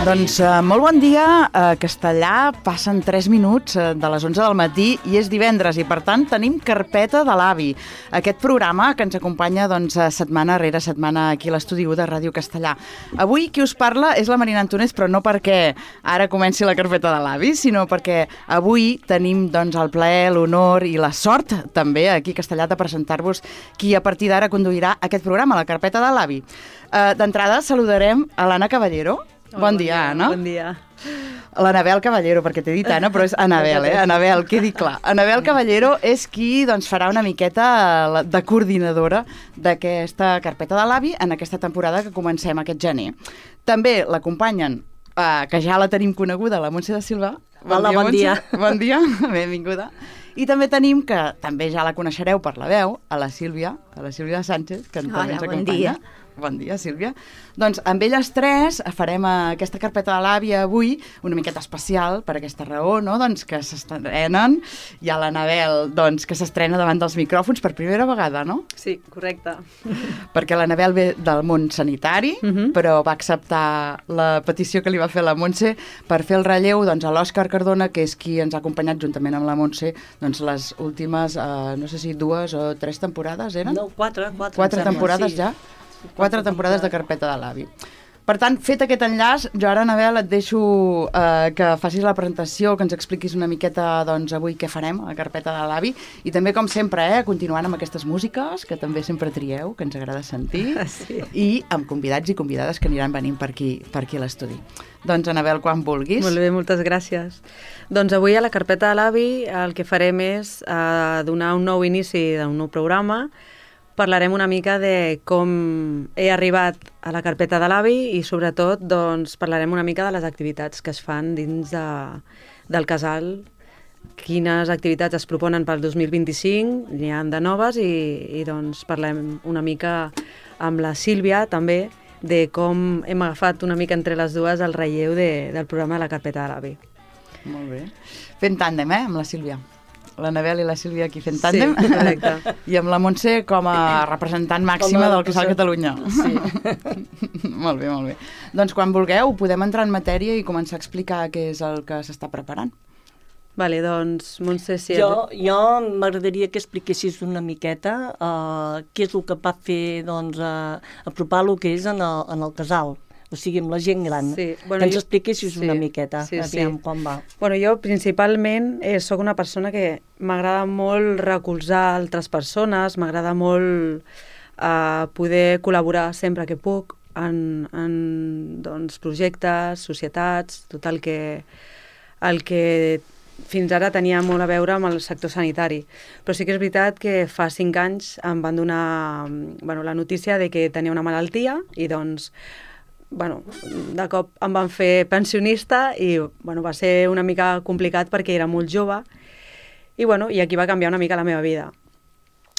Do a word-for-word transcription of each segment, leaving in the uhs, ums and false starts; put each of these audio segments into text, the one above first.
Doncs uh, molt bon dia. A Castellà passen tres minuts uh, de les onze del matí i és divendres i, per tant, tenim Carpeta de l'Avi. Aquest programa que ens acompanya doncs, setmana rere setmana aquí a l'Estudi u de Ràdio Castellà. Avui qui us parla és la Marina Antonés, però no perquè ara comenci la Carpeta de l'Avi, sinó perquè avui tenim doncs, el plaer, l'honor i la sort també aquí a Castellà de presentar-vos qui a partir d'ara conduirà aquest programa, la Carpeta de l'Avi. Uh, D'entrada saludarem a l'Anna Caballero. Oh, bon dia, Anna. Bon dia. L'Anabel Caballero, perquè t'he dit Anna, però és Anabel, eh? Anabel, quedi clar. Anabel Caballero és qui doncs, farà una miqueta de coordinadora d'aquesta Carpeta de l'Avi en aquesta temporada que comencem aquest gener. També l'acompanyen, eh, que ja la tenim coneguda, la Montse de Silva. Bon Hola, dia, bon dia. Bon dia, benvinguda. I també tenim, que també ja la coneixereu per la veu, a la Sílvia, a la Sílvia Sánchez, que Hola, també ens bon acompanya. dia. Bon dia, Sílvia. Doncs amb elles tres farem aquesta Carpeta de l'Avi avui una miqueta especial per aquesta raó, no? Doncs que s'estrenen. Hi ha l'Anabel, doncs, que s'estrena davant dels micròfons per primera vegada, no? Sí, correcte. Perquè l'Anabel ve del món sanitari, Uh-huh. però va acceptar la petició que li va fer la Montse per fer el relleu doncs, a l'Òscar Cardona, que és qui ens ha acompanyat juntament amb la Montse doncs, les últimes, eh, no sé si dues o tres temporades eren? No, quatre. Quatre, Quatre em sembla, temporades sí. ja? Quatre temporades de Carpeta de l'Avi. Per tant, fet aquest enllaç, jo ara, Anabel, et deixo eh, que facis la presentació, que ens expliquis una miqueta doncs, avui què farem a la Carpeta de l'Avi, i també, com sempre, eh, continuant amb aquestes músiques, que també sempre trieu, que ens agrada sentir, Sí. i amb convidats i convidades que aniran venint per aquí, per aquí a l'estudi. Doncs, Anabel, quan vulguis. Molt bé, moltes gràcies. Doncs avui a la Carpeta de l'Avi el que farem és eh, donar un nou inici d'un nou programa. Parlarem una mica de com he arribat a la Carpeta de l'Avi i, sobretot, doncs, parlarem una mica de les activitats que es fan dins de, del casal, quines activitats es proponen pel dos mil vint-i-cinc, n'hi ha de noves, i, i doncs, parlem una mica amb la Sílvia, també, de com hem agafat una mica entre les dues el relleu de, del programa de la Carpeta de l'Avi. Molt bé. Fent tàndem, eh, amb la Sílvia. L'Anabel i la Sílvia aquí fent tàndem. Sí, correcte. I amb la Montse com a representant màxima del Casal Catalunya. Sí. Molt bé, molt bé. Doncs quan vulgueu podem entrar en matèria i començar a explicar què és el que s'està preparant. Vale, doncs, Montse, si... Jo, jo m'agradaria que expliquessis una miqueta uh, què és el que va fer doncs, uh, apropar el que és en el, en el casal. O sigui, amb la gent gran. Sí, bueno, que ens jo- expliquessis sí, una miqueta, sí, aviam sí. com va. Bueno, jo principalment eh, sóc una persona que m'agrada molt recolzar altres persones, m'agrada molt eh, poder col·laborar sempre que puc en, en doncs, projectes, societats, tot el que, el que fins ara tenia molt a veure amb el sector sanitari. Però sí que és veritat que fa cinc anys em van donar bueno, la notícia de que tenia una malaltia i doncs bueno, de cop em van fer pensionista i bueno, va ser una mica complicat perquè era molt jove i, bueno, i aquí va canviar una mica la meva vida.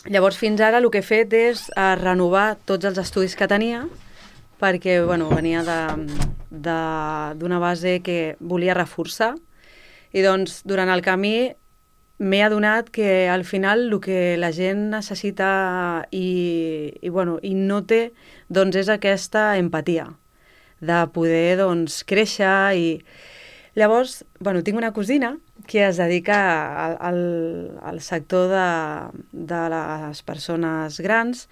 Llavors, fins ara el que he fet és eh, renovar tots els estudis que tenia perquè bueno, venia d'una base que volia reforçar i doncs durant el camí m'he adonat que al final el que la gent necessita i, i, bueno, i no té doncs és aquesta empatia de poder doncs, créixer i... Llavors, bueno, tinc una cosina que es dedica al, al, al sector de, de les persones grans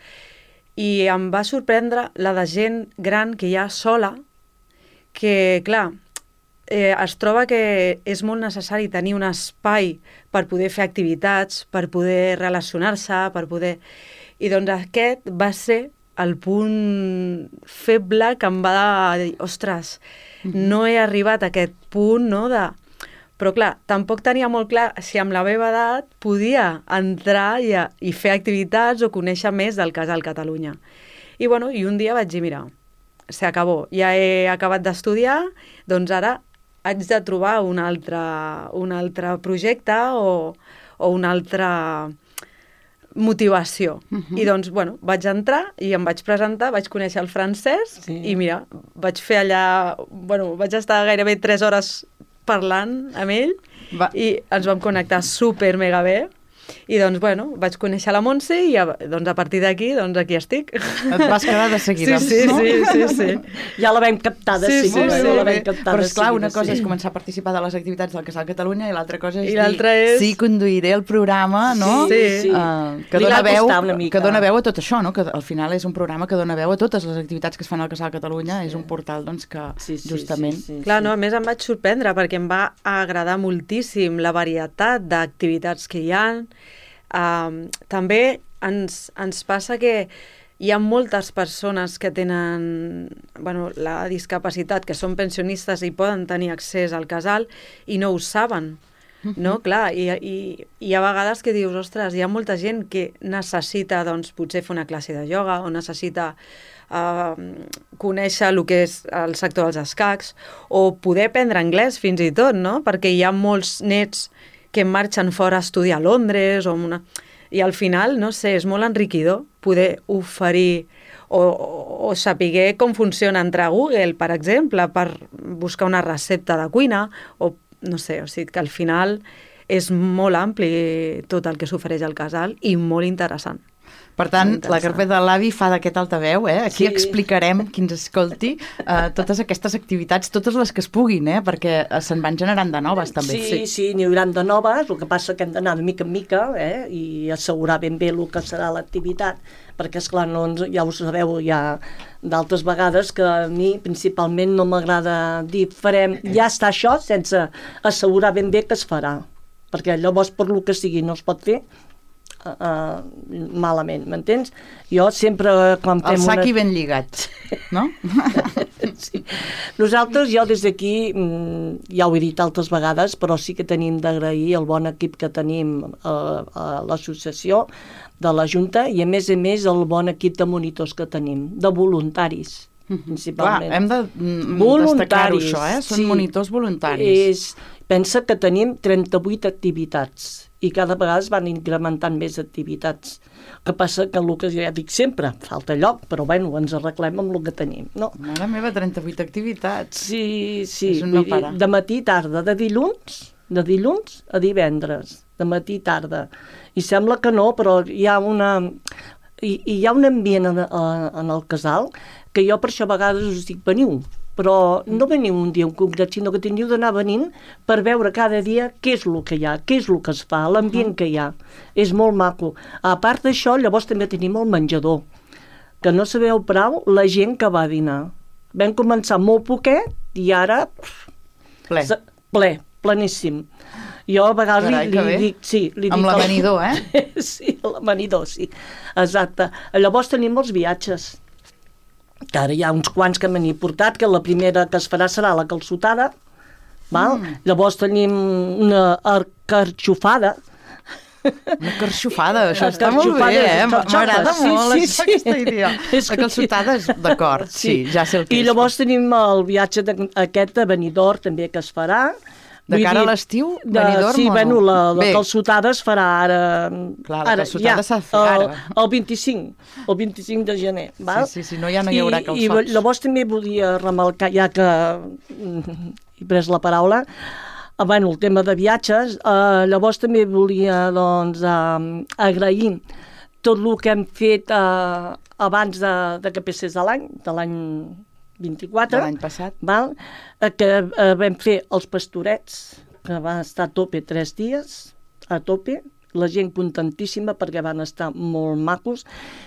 i em va sorprendre la de gent gran que hi ha sola, que, clar, eh, es troba que és molt necessari tenir un espai per poder fer activitats, per poder relacionar-se, per poder... I doncs aquest va ser el punt feble que em va dir, ostres, no he arribat a aquest punt, no?, de... Però clar, tampoc tenia molt clar si amb la meva edat podia entrar i, a, i fer activitats o conèixer més del Casal Catalunya. I bueno, i un dia vaig dir, mira, s'acabó, ja he acabat d'estudiar, doncs ara haig de trobar un altre, un altre projecte o, o un altre motivació. Uh-huh. I doncs, bueno, vaig entrar i em vaig presentar, vaig conèixer el francès sí. i mira, vaig fer allà, bueno, vaig estar gairebé tres hores parlant amb ell Va. i ens vam connectar super mega bé I doncs, bueno, vaig conèixer la Montse i a, doncs, a partir d'aquí, doncs aquí estic. Et vas quedar de seguida, sí, sí, no? Sí, sí, sí. Ja la vam captar de sí, seguida. Sí, sí, ja la sí. vam captar Però de esclar, seguida, una cosa sí. és començar a participar de les activitats del Casal Catalunya i l'altra cosa és I l'altra és... dir, sí, conduiré el programa, no? Sí, sí. Uh, que, Li dona va veu, costar una mica. que dona veu a tot això, no? Que al final és un programa que dona veu a totes les activitats que es fan al Casal Catalunya, sí. És un portal doncs, que sí, sí, justament... Sí, sí, sí. Clar, no, a més em vaig sorprendre perquè em va agradar moltíssim la varietat d'activitats que hi ha. Uh, també ens, ens passa que hi ha moltes persones que tenen bueno, la discapacitat, que són pensionistes i poden tenir accés al casal i no ho saben. No, clar, i, i, i hi ha vegades que dius, ostres, hi ha molta gent que necessita, doncs, potser fer una classe de ioga o necessita uh, conèixer el que és el sector dels escacs o poder aprendre anglès fins i tot, no? Perquè hi ha molts nets que marxen fora a estudiar a Londres o una... i al final, no sé, és molt enriquidor poder oferir o, o, o saber com funciona entrar a Google, per exemple, per buscar una recepta de cuina o no sé, o sigui que al final és molt ampli tot el que s'ofereix al casal i molt interessant. Per tant, la carpeta de l'avi fa d'aquest altaveu, eh? Aquí sí. Explicarem, qui ens escolti, uh, totes aquestes activitats, totes les que es puguin, eh? Perquè se'n van generant de noves, també. Sí, sí, sí n'hi haurà de noves, el que passa que hem d'anar de mica en mica, eh? I assegurar ben bé el que serà l'activitat, perquè, esclar, no ens, ja ho sabeu, ja d'altres vegades que a mi principalment no m'agrada dir farem, ja està això, sense assegurar ben bé que es farà, perquè llavors per lo que sigui no es pot fer, Uh, malament, m'entens? Jo sempre quan fem el sac una... i ben lligat, no? Sí. Nosaltres, jo des d'aquí ja ho he dit altres vegades, però sí que tenim d'agrair el bon equip que tenim a, a l'associació de la Junta i a més a més el bon equip de monitors que tenim, de voluntaris principalment. Clar, hem de destacar-ho això, eh? Són sí, monitors voluntaris. És, pensa que tenim trenta-vuit activitats i cada vegada es van incrementant més activitats. El que passa que el que ja dic sempre, falta lloc, però bueno, ens arreglem amb el que tenim, no? Mare meva, trenta-vuit activitats. Sí, sí, és un no dir, de matí i tarda, de dilluns, de dilluns a divendres, de matí i tarda. I sembla que no, però hi ha una... Hi, hi ha un ambient en, en el casal que jo per això a vegades us dic, veniu, però no veniu un dia en concret, sinó que teniu d'anar venint per veure cada dia què és el que hi ha, què és el que es fa, l'ambient que hi ha. És molt maco. A part d'això, llavors també tenim el menjador, que no sabeu prou la gent que va a dinar. Vam començar molt poquet i ara... Ple. Ple, pleníssim. Jo a vegades Carai, li, li dic... Sí, li amb dic l'amanidor, eh? Sí, l'amanidor, sí. Exacte. Llavors tenim els viatges, que ara hi ha uns quants que m'han portat, que la primera que es farà serà la calçotada, val? Mm. Llavors tenim una carxofada. Una carxofada, això està molt bé, eh? M'agrada sí, molt sí, això, sí. aquesta idea. La calçotada és d'acord, sí. sí, ja sé el que I és. llavors tenim el viatge de, aquest de Benidorm també que es farà. De cara a l'estiu, Benidorm sí, o no? bueno, la, la calçotada es farà ara... Clar, la ara, calçotada ja, s'ha de fer ara. El, el vint-i-cinc, el vint-i-cinc de gener, val? Sí, sí, sí, no, ja no hi haurà calçots. I, i llavors també volia remarcar, ja que he pres la paraula, eh, bueno, el tema de viatges, eh, llavors també volia, doncs, eh, agrair tot el que hem fet eh, abans de, de que passés de l'any, de l'any vint-i-quatre, de l'any passat, val? Que eh, vam fer els pastorets, que van estar a tope tres dies, a tope, la gent contentíssima perquè van estar molt macos.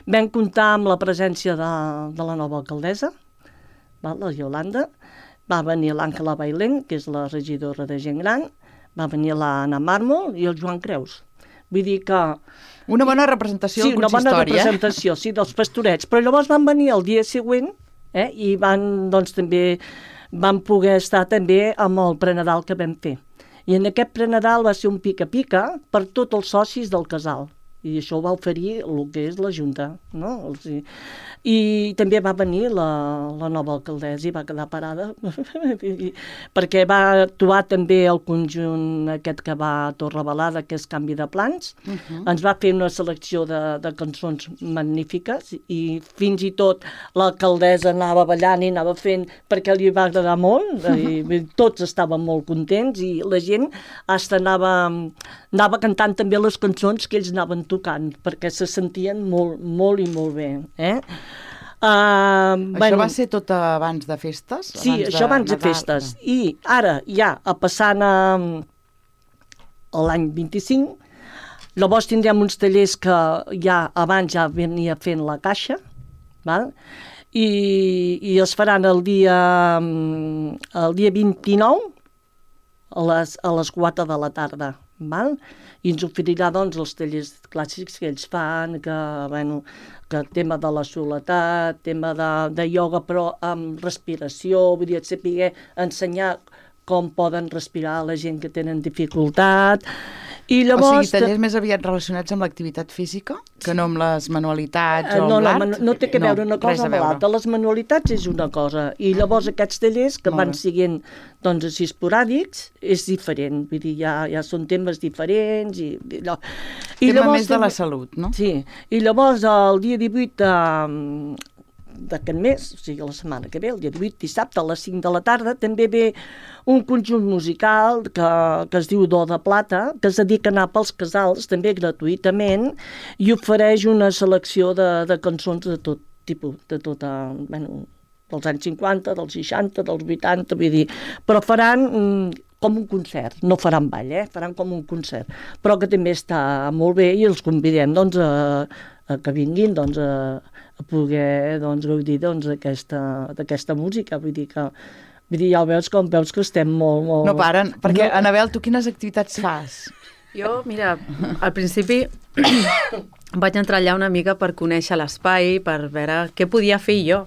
Vam comptar amb la presència de, de la nova alcaldessa, val? La Yolanda, va venir l'Àngela Bailén, que és la regidora de gent gran, va venir l'Anna Mármol i el Joan Creus. Vull dir que... Una bona representació sí, del consistori, una bona representació, eh? Sí, dels pastorets. Però llavors van venir el dia següent, eh? I van, doncs, també van poder estar també amb el prenadal que vam fer. I en aquest prenadal va ser un pica-pica per tots els socis del casal. I això ho va oferir el que és la Junta, no? O sigui, i també va venir la, la nova alcaldessa i va quedar parada perquè va actuar també el conjunt aquest que va a Torrebalada, que és Canvi de Plans. Uh-huh. Ens va fer una selecció de, de cançons magnífiques i fins i tot l'alcaldessa anava ballant i anava fent perquè li va agradar molt i tots estaven molt contents i la gent hasta anava anava cantant també les cançons que ells anaven tocant, perquè se sentien molt, molt i molt bé. Eh? Uh, això bueno, va ser tot abans de festes? Sí, abans això abans de, de festes. I ara, ja, a passant a, a l'any vint-i-cinc, llavors tindrem uns tallers que ja abans ja venia fent la caixa, val? I, i es faran el dia, el dia vint-i-nou a les, a les quatre de la tarda. Val? I ens oferirà doncs, els tallers clàssics que ells fan, que, bueno, que tema de la soledat, tema de, de ioga, però amb respiració, vull dir, saber ensenyar com poden respirar la gent que tenen dificultat. I llavors, o sigui, tallers més aviat relacionats amb l'activitat física, que no amb les manualitats o amb no, l'art? No, no té que veure una cosa amb l'altra. Les manualitats és una cosa. I llavors aquests tallers que van siguent doncs, així esporàdics és diferent. Vull dir, ja, ja són temes diferents. I, i, allò. I Tema llavors, més de la salut, no? Sí. I llavors el dia divuit de... d'aquest mes, o sigui, la setmana que ve, el dia divuit, dissabte, a les cinc de la tarda, també ve un conjunt musical que, que es diu Do de Plata, que es dedica a anar pels casals, també gratuïtament, i ofereix una selecció de, de cançons de tot tipus, de tota, bueno, dels anys cinquanta, dels seixanta, dels vuitanta, vull dir, però faran mm, com un concert, no faran ball, eh? Faran com un concert, però que també està molt bé i els convidem, doncs, a, a que vinguin, doncs, a, a poder doncs, gaudir doncs, d'aquesta música. Vull dir que vull dir, ja veus com veus que estem molt... molt... No paren, perquè, no. Anabel, tu quines activitats fas? Jo, mira, al principi vaig entrar allà una mica per conèixer l'espai, per veure què podia fer jo.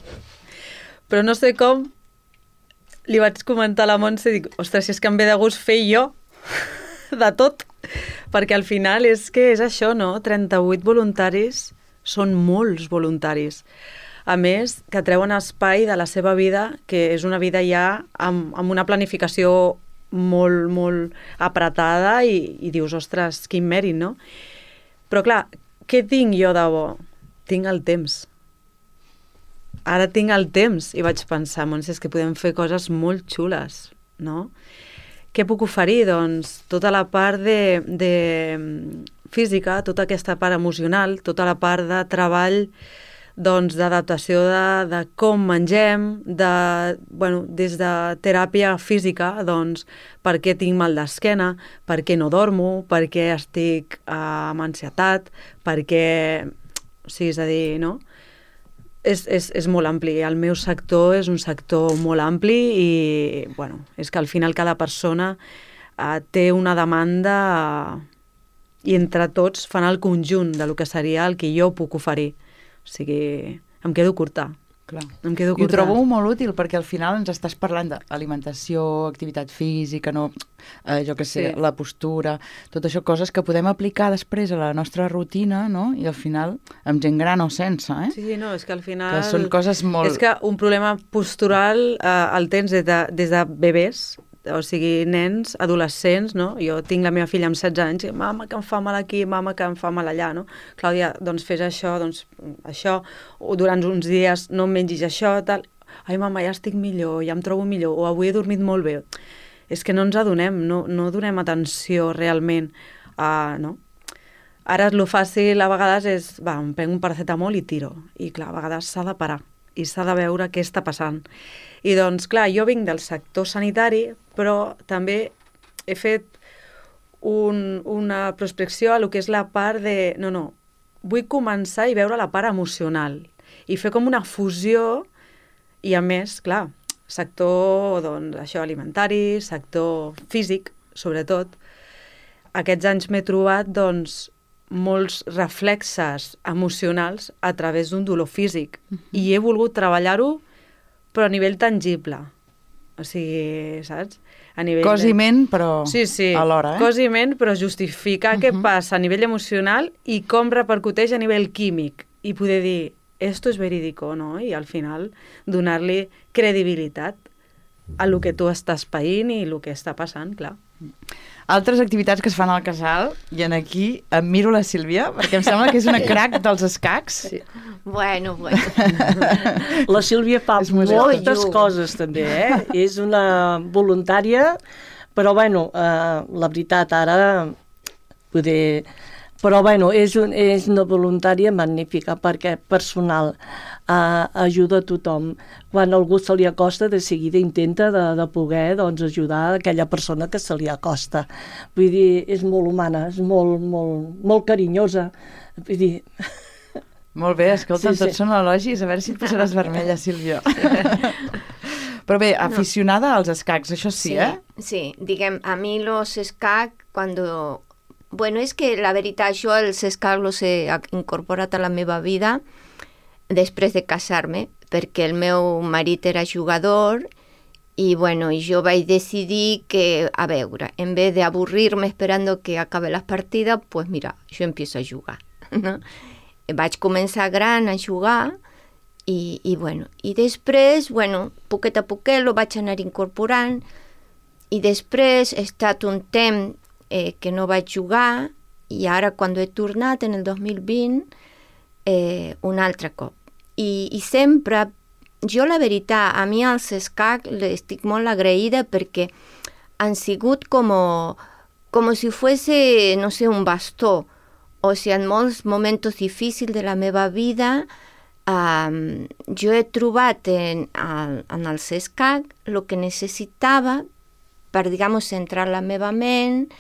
Però no sé com, li vaig comentar a la Montse i dic, ostres, si és que em ve de gust fer jo de tot, perquè al final és que és això, no? trenta-vuit voluntaris, són molts voluntaris. A més, que treuen espai de la seva vida, que és una vida ja amb, amb una planificació molt, molt apretada i, i dius, ostres, quin mèrit, no? Però clar, què tinc jo de bo? Tinc el temps. Ara tinc el temps i vaig pensar, Montse, és que podem fer coses molt xules, no? Què puc oferir? Doncs tota la part de, de física, tota aquesta part emocional, tota la part de treball, doncs, d'adaptació de, de com mengem, de, bueno, des de teràpia física, doncs, per què tinc mal d'esquena, per què no dormo, per què estic eh, amb ansietat, per què... O sigui, és a dir, no? És, és, és molt ampli. El meu sector és un sector molt ampli i, bueno, és que al final cada persona eh, té una demanda eh, i entre tots fan el conjunt de lo que seria el que jo puc oferir. O sigui, em quedo curta. Clar. Em quedo curta. I ho trobo molt útil perquè al final ens estàs parlant d'alimentació, activitat física, no, eh, jo què sé, sí. La postura, tot això, coses que podem aplicar després a la nostra rutina, no? I al final, amb gent gran o sense, eh? Sí, sí, no, és que al final... Que són coses molt... És que un problema postural eh, el tens des de, des de bebès, o sigui, nens, adolescents, no? Jo tinc la meva filla amb setze anys, i, mama, que em fa mal aquí, mama, que em fa mal allà, no? Clàudia, doncs fes això, doncs això, o durant uns dies no em mengis això, tal. Ai, mama, ja estic millor, ja em trobo millor, o avui he dormit molt bé. És que no ens adonem, no, no donem atenció realment a... No? Ara el fàcil a vegades és, va, em prenc un paracetamol i tiro. I clar, a vegades s'ha de parar i s'ha de veure què està passant. I doncs, clar, jo vinc del sector sanitari, però també he fet un, una prospecció a lo que és la part de... No, no, vull començar i veure la part emocional i fer com una fusió i, a més, clar, sector, doncs, això, alimentari, sector físic, sobretot. Aquests anys m'he trobat, doncs, molts reflexes emocionals a través d'un dolor físic. Uh-huh. I he volgut treballar-ho, però a nivell tangible. O sigui, saps? A nivell cos i ment, però sí, sí. alhora, eh? Cos i ment, però justificar uh-huh. què passa a nivell emocional i com repercuteix a nivell químic. I poder dir, esto es verídico, no? I al final donar-li credibilitat a lo que tu estàs païnt i el que està passant, clar. Altres activitats que es fan al casal, i en aquí em miro la Sílvia, perquè em sembla que és una crac dels escacs. Sí. Bueno, bueno. La Sílvia fa moltes coses, també, eh? És una voluntària, però, bueno, eh, la veritat, ara poder... Però, bueno, és, un, és una voluntària magnífica perquè personal uh, ajuda a tothom. Quan algú se li acosta, de seguida intenta de, de poder doncs, ajudar aquella persona que se li acosta. Vull dir, és molt humana, és molt, molt, molt carinyosa. Vull dir... Molt bé, escolta'm, Sí, sí. tots són elogis, a veure si et posaràs vermella, Sílvia. Però bé, aficionada als escacs, això sí, sí, eh? Sí, diguem, a mi los escacs, cuando... Bueno, és que la veritat, jo els escacs els he incorporat a la meva vida després de casar-me, perquè el meu marit era jugador i, bueno, i jo vaig decidir que, a veure, en vez de avorrir-me esperando que acabe la partida, pues mira, jo empiezo a jugar, no? Vaig començar gran a jugar i, i bueno, i després, bueno, poquet a poquet lo vaig anar incorporant i després he estat un temps eh, que no vaig jugar i ara quan he tornat en el dos mil vint eh, un altre cop. I, i sempre, jo la veritat, a mi als escacs estic molt agraïda perquè han sigut com, com si fuese, no sé, un bastó. O sigui, en molts moments difícils de la meva vida um, jo he trobat en, en els escacs el que necessitava per, digamos, centrar la meva ment.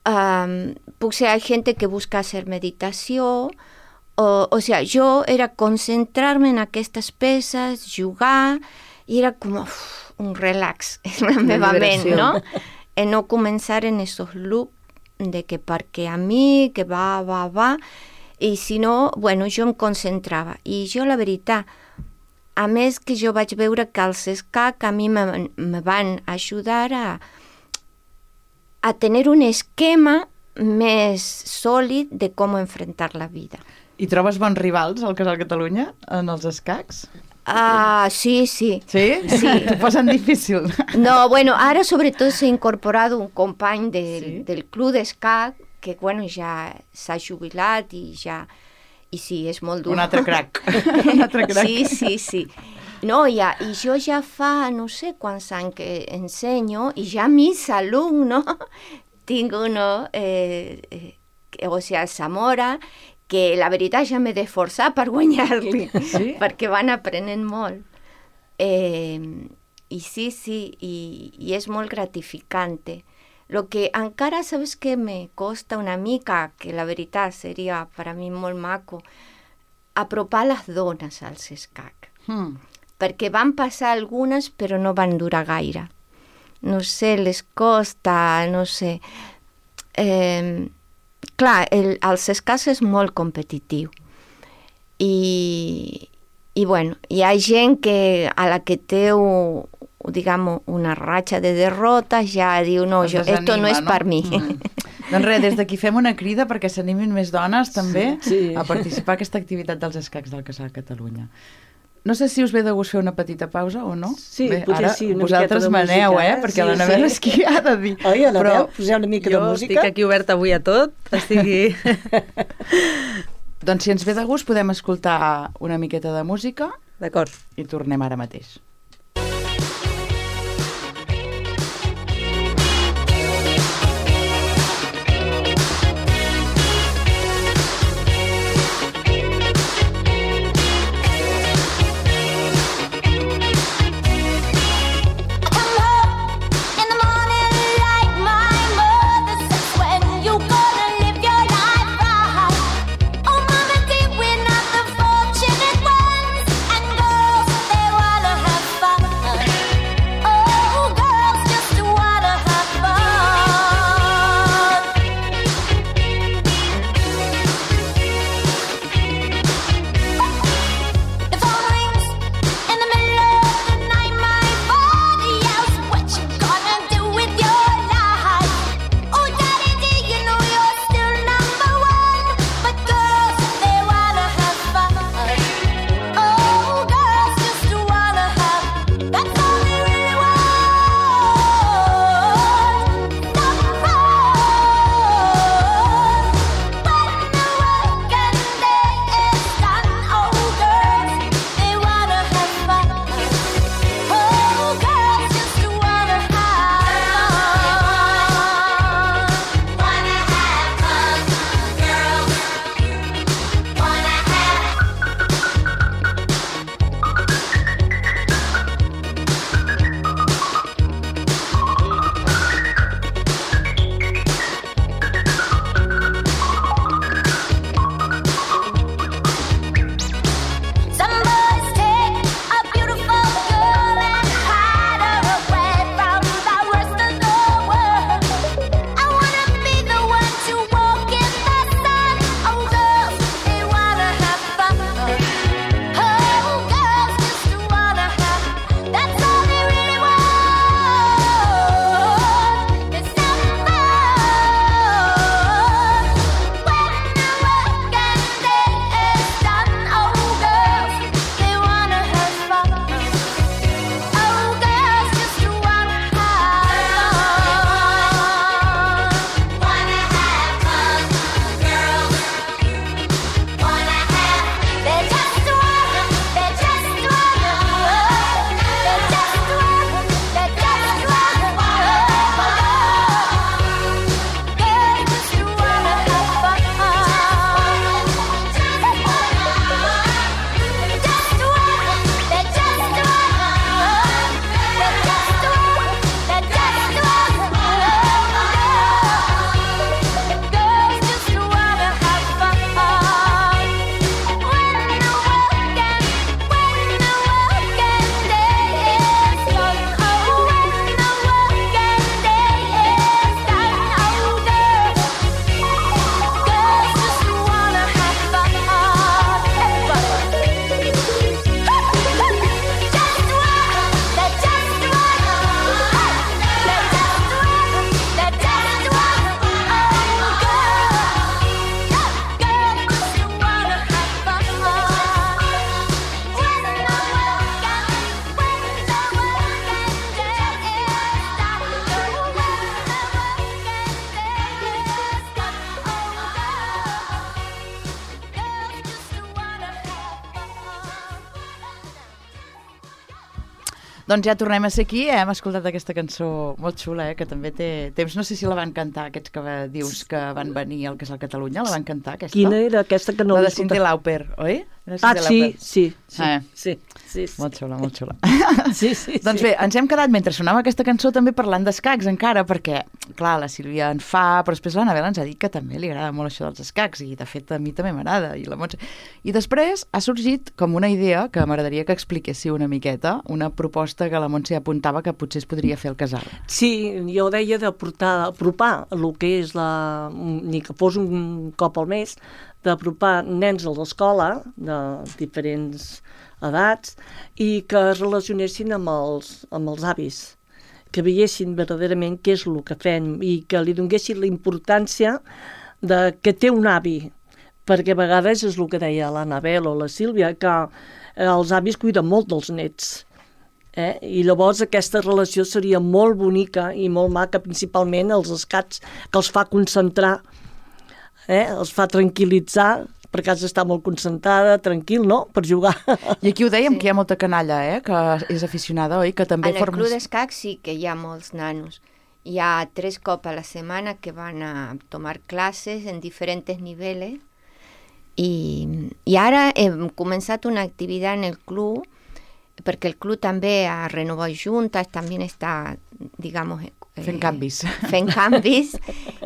Um, puc ser gent que busca hacer meditació, o, o sigui, jo era concentrar-me en aquestes peces, jugar, i era com uf, un relax en la meva ment, no? I no començar en esos loops de que perquè a mi, que va, va, va, i si no, bueno, jo em concentrava. I jo, la veritat, a més que jo vaig veure que els escacs a mi me, me van ajudar a, a tenir un esquema més sòlid de com enfrontar la vida. I trobes bons rivals al Casal Catalunya, en els escacs? Ah, sí, sí. Sí? Sí. T'ho posen difícil. No, bueno, ara sobretot s'ha incorporat un company del, Sí? del club d'escac que, bueno, ja s'ha jubilat i ja... I sí, és molt dur. Un altre crac. Un altre crac. Sí, sí, sí. No, ja, i jo ja fa no sé quants anys que ensenyo i ja mis alumnos tinc uno, eh, eh, o sigui, a Zamora, que la veritat ja m'he d'esforçar per guanyar-li, Sí? perquè van aprenent molt. Eh, I sí, sí, i, i és molt gratificante. Lo que encara, sabes que me costa una mica, que la veritat seria per a mi molt maco, apropar les dones als escacs. Hmm. Perquè van passar algunes però no van durar gaire. No sé, les costa, no sé... Eh, clar, el, els escacs és molt competitiu. I, i bueno, hi ha gent que a la que té un, diguem, una ratxa de derrotes ja diu, no, Es jo, desanima, esto no és no? per mi. Mm. Doncs res, des d'aquí fem una crida perquè s'animin més dones també Sí. a participar en aquesta activitat dels escacs del Casal Catalunya. No sé si us ve de gust fer una petita pausa o no. Sí, Bé, potser ara sí, una vosaltres miqueta de maneu, música, eh? eh? Perquè Sí, la Nevera sí. és qui ha de dir. Oi, Anabel, Però poseu una mica jo de música. estic aquí oberta avui a tot, estigui... Doncs si ens ve de gust podem escoltar una miqueta de música D'acord. i tornem ara mateix. Have Doncs ja tornem a ser aquí, eh? Hem escoltat aquesta cançó molt xula, eh? Que també té temps. No sé si la van cantar aquests que dius que van venir al Casal Catalunya, la van cantar aquesta? Quina era aquesta que no la l'he de Cindy Lauper, oi? Ah, sí, sí, sí, eh. sí, sí, sí. Molt xula, molt xula. Sí, sí, doncs sí. bé, ens hem quedat mentre sonava aquesta cançó també parlant d'escacs encara, perquè, clar, la Sílvia en fa, però després l'Anabel ens ha dit que també li agrada molt això dels escacs, i de fet a mi també m'agrada. I, la Montse... I després ha sorgit com una idea que m'agradaria que expliquéssiu una miqueta, una proposta que la Montse apuntava que potser es podria fer al casal. Sí, jo deia de portar, apropar el que és la... ni que fos un cop al mes, d'apropar nens a l'escola de diferents edats i que es relacionessin amb els, amb els avis, que veiessin verdaderament què és el que fem i que li donguessin la importància de que té un avi, perquè a vegades és el que deia l'Anabel o la Sílvia, que els avis cuiden molt dels nets. Eh? I llavors aquesta relació seria molt bonica i molt maca, principalment els escats, que els fa concentrar, eh? Els fa tranquil·litzar, perquè has d'estar molt concentrada, tranquil, no?, per jugar. I aquí ho dèiem, sí. que hi ha molta canalla, eh?, que és aficionada, oi? Que també en el formes... club d'escacs sí que hi ha molts nanos. Hi ha tres cops a la setmana que van a tomar classes en diferents nivells i, i ara hem començat una activitat en el club perquè el club també ha renovat juntes, també està, digamos... Eh, fent canvis. Fent canvis.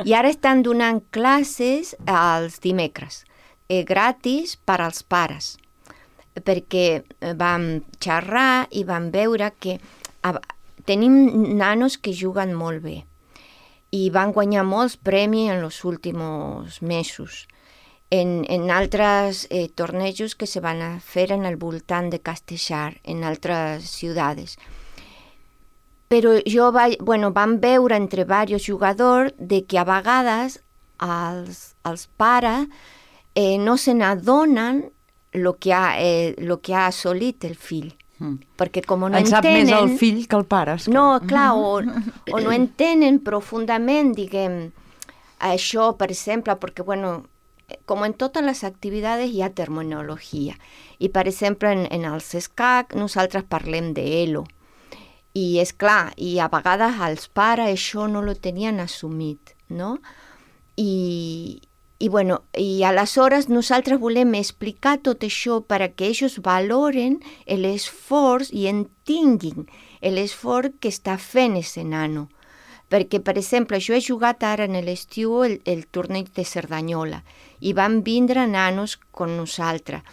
I ara estan donant classes els dimecres, eh, gratis per als pares, perquè vam xerrar i vam veure que a, tenim nanos que juguen molt bé i van guanyar molts premis en els últims mesos. En, en altres eh, tornejos que se van a fer en el voltant de Castellar, en altres ciutats. Però jo va, bueno, vam veure entre diversos jugadors de que a vegades els, els pares eh, no se n'adonen el que, ha, eh, lo que ha assolit el fill. Mm. Perquè com no en entenen... sap més el fill que el pare. Esclar. No, clar, o, o no entenen profundament, diguem, això, per exemple, perquè, bueno, com en totes les activitats hi ha terminologia. I, per exemple, en, en els escacs nosaltres parlem d'elo. I, és clar, i a vegades els pares això no lo tenien assumit, no? I, i, bueno, i aleshores nosaltres volem explicar tot això perquè ells valoren l'esforç i entenguin l'esforç que està fent ese nano. Perquè, per exemple, jo he jugat ara en l'estiu el, el torneig de Cerdanyola i van vindre nanos con nosaltres.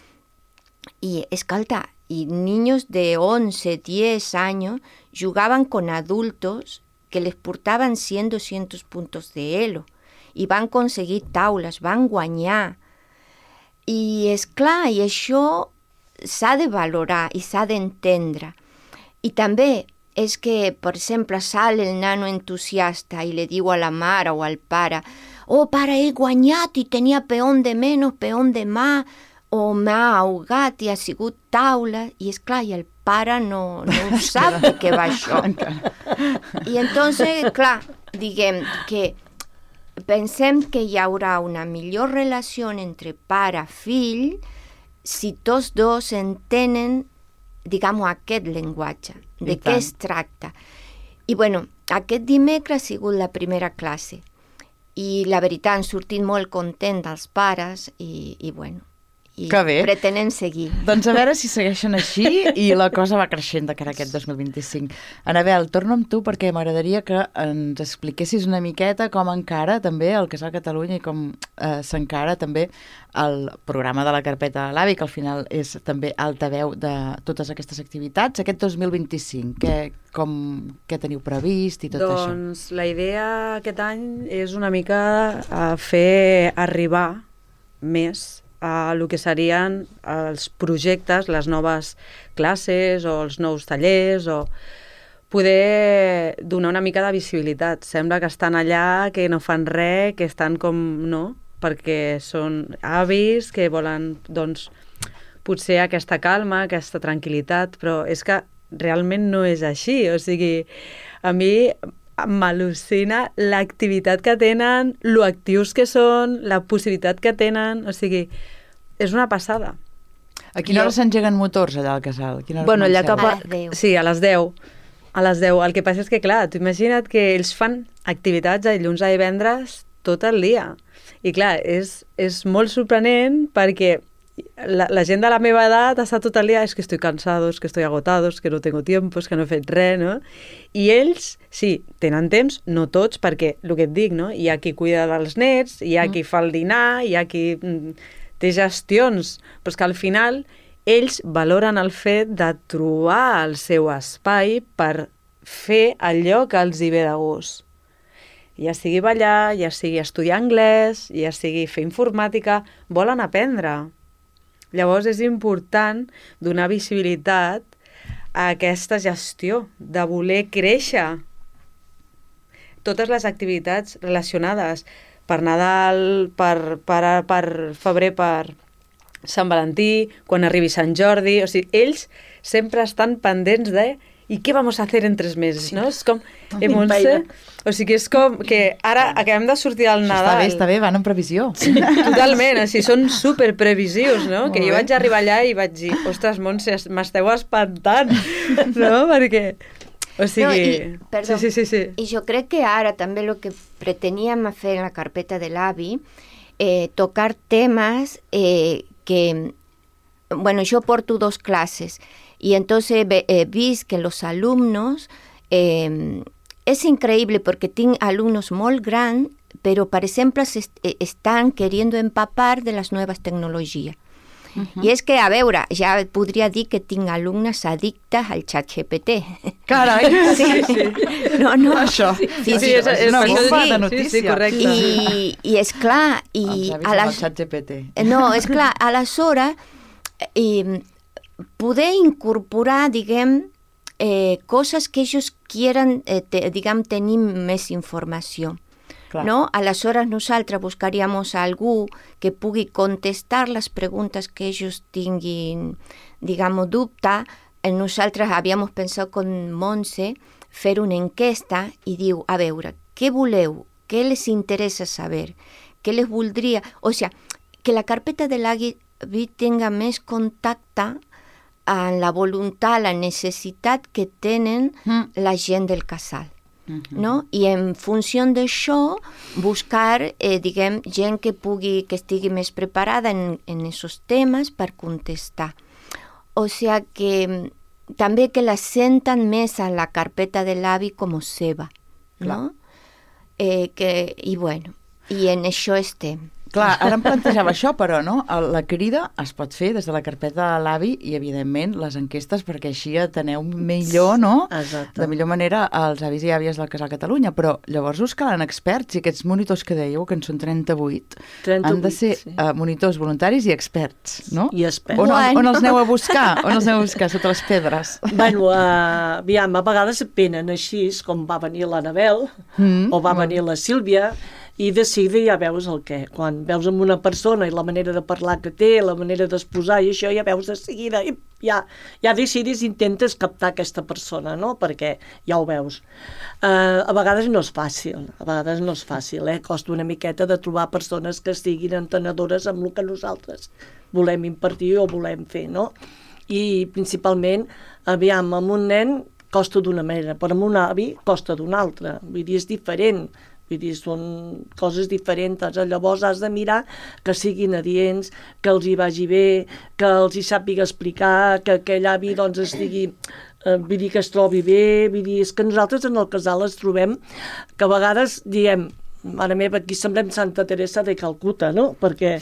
I, escolta, y niños de once, diez años jugaban con adultos que les portaven cent, doscientos puntos de elo i van aconseguir taules, van guanyar. I és clar, i això s'ha de valorar i s'ha d'entendre. I també és que, per exemple, sale el nano entusiasta i li diu a la mare o al pare «Oh, pare, he guanyat i tenia peón de menys, peón de mà», o m'ha ahogat i ha sigut taula, i és clar, i el pare no, no sap de què va això. I entonces, clar, diguem que pensem que hi haurà una millor relació entre pare-fill si tots dos entenen, diguem, aquest llenguatge, de què es tracta. I, bueno, aquest dimecres ha sigut la primera classe i la veritat han sortit molt contents els pares i, i bueno, i pretenem seguir. Doncs a veure si segueixen així i la cosa va creixent de cara a aquest dos mil vint-i-cinc. Anabel, torno amb tu perquè m'agradaria que ens expliquessis una miqueta com encara també el Casal Catalunya i com eh, s'encara també el programa de la Carpeta de l'Avi, que al final és també altaveu de totes aquestes activitats. Aquest dos mil vint-i-cinc, què, com, què teniu previst i tot doncs, això? Doncs la idea aquest any és una mica a fer arribar més a el que serien els projectes, les noves classes o els nous tallers, o poder donar una mica de visibilitat. Sembla que estan allà, que no fan res, que estan com... no, perquè són avis que volen, doncs, potser aquesta calma, aquesta tranquil·litat, però és que realment no és així. O sigui, a mi m'al·lucina l'activitat que tenen, lo actius que són, la possibilitat que tenen, o sigui, és una passada. A quina Jo- hora s'engeguen motors allà al casal? A quina hora Bueno, allà comenceu? cap a... A les deu. Sí, a les deu. A les deu. El que passa és que, clar, tu imagina't que ells fan activitats de dilluns a divendres tot el dia. I, clar, és, és molt sorprenent perquè la, la gent de la meva edat està tot el dia, és que estic cansado, és que estic agotado, és que no tengo tiempo, és que no he fet res, no? I ells, sí, tenen temps, no tots, perquè, el que et dic, no? Hi ha qui cuida dels nets, hi ha qui fa el dinar, hi ha qui mm, té gestions, però és que al final ells valoren el fet de trobar el seu espai per fer allò que els hi ve de gust. Ja sigui ballar, ja sigui estudiar anglès, ja sigui fer informàtica, volen aprendre. Llavors és important donar visibilitat a aquesta gestió, de voler créixer. Totes les activitats relacionades per Nadal, per, per, per febrer, per Sant Valentí, quan arribi Sant Jordi, o sigui, ells sempre estan pendents de i què vamos a hacer en tres mesos, no? És com, eh, Montse? O sigui, és com que ara acabem de sortir del Això Nadal. Està bé, està bé, van en previsió. Totalment, així són superprevisius, no? Molt Que jo bé. vaig arribar allà i vaig dir, ostres, Montse, m'esteu espantant, no? Perquè, o sigui... No, i, perdó, sí, sí, sí, sí. I jo crec que ara també el que preteníem fer en la carpeta de l'avi, eh, tocar temes eh, que, bueno, yo porto dos clases y entonces he visto que los alumnos, eh, es increíble porque tienen alumnos muy grandes, pero por ejemplo se est están queriendo empapar de las nuevas tecnologías. Uh-huh. I és que, a veure, ja podria dir que tinc alumnes addictes al xat G P T. Carai! Sí, sí. No, no. Això. Sí, Sí, sí, és, és una sí, bomba sí, de sí, notícia. sí, correcte. I, i és clar, i Els avis a amb el les, xat G P T. no, és clar, aleshores eh, poder incorporar, diguem, eh, coses que ells quieran, eh, te, diguem, tenir més informació. Clar. No? Aleshores nosaltres buscaríem algú que pugui contestar les preguntes que ells tinguin, diguem, dubte. Nosaltres havíem pensat con Montse fer una enquesta i diu, a veure, què voleu? Què les interessa saber? Què les voldria? O sigui, que la carpeta de l'Avi tenga més contacte amb la voluntat, la necessitat que tenen Mm. la gent del casal. Mhm. No? I en funció d'això buscar, eh, diguem, gent que pugui, que estigui més preparada en, en aquests temes per contestar. O sigui que també que la senten més a la carpeta de l'avi com seva, no? Eh, que, i bueno, i en això estem. Clar, ara em plantejava això, però no? La crida es pot fer des de la carpeta de l'avi i, evidentment, les enquestes, perquè així ateneu millor, no? Exacte. De millor manera als avis i àvies del Casal Catalunya. Però llavors us calen experts i aquests monitors que dèieu, que en són trenta-vuit, han de ser sí. uh, monitors voluntaris i experts, no? I experts. On, Bueno. on els aneu a buscar? On els aneu a buscar? Sota les pedres? Bueno, uh, aviam, a vegades venen així, com va venir l'Anabel, Mm, o va molt venir la Sílvia, i de seguida ja veus el què. Quan veus amb una persona i la manera de parlar que té, la manera d'exposar i això, ja veus de seguida, i ja, ja decidis, intentes captar aquesta persona, no? Perquè ja ho veus. Uh, a vegades no és fàcil, a vegades no és fàcil, eh? Costa una miqueta de trobar persones que estiguin entenedores amb el que nosaltres volem impartir o volem fer, no? I principalment, aviam, amb un nen costa d'una manera, però amb un avi costa d'una altra, vull dir, és diferent. Vull dir, són coses diferents. Llavors has de mirar que siguin adients, que els hi vagi bé, que els hi sàpiga explicar, que aquell avi doncs estigui, eh, vull dir, que es trobi bé. Vull dir, és que nosaltres en el casal es trobem que a vegades diem, mare meva, aquí semblem Santa Teresa de Calcuta, no? Perquè